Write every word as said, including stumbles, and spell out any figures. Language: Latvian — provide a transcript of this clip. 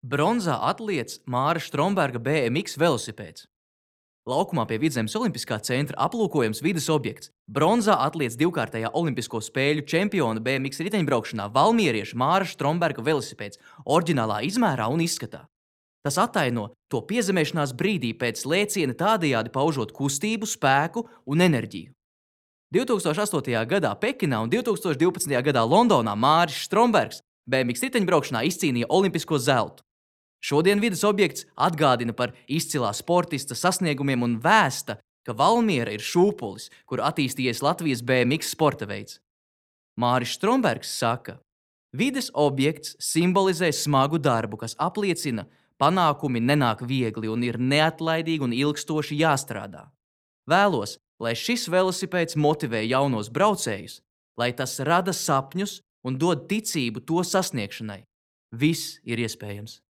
Bronzā atlietis Māra Stromberga B M X velosipēds. Laukumā pie Vidzemes Olimpiskā centra aplūkojams vides objekts. Bronzā atlietis divkārtējā Olimpisko spēļu čempiona B M X riteņbraukšanā valmierieša Māra Stromberga velosipēds oriģinālā izmērā un izskatā. Tas attaino to piezemēšanās brīdī pēc lēciena, tādējādi paužot kustību, spēku un enerģiju. divi tūkstoši astotajā gadā Pekinā un divi tūkstoši divpadsmitajā gadā Londonā Māris Strombergs B M X riteņbraukšanā izcīnīja olimpisko zeltu. Šodien vides objekts atgādina par izcilā sportista sasniegumiem un vēsta, ka Valmiera ir šūpulis, kur attīstījies Latvijas B M X sporta veids. Māris Strombergs saka, vides objekts simbolizē smagu darbu, kas apliecina, panākumi nenāk viegli un ir neatlaidīgi un ilgstoši jāstrādā. Vēlos, lai šis velosipēds motivē jaunos braucējus, lai tas rada sapņus un dod ticību to sasniegšanai. Viss ir iespējams.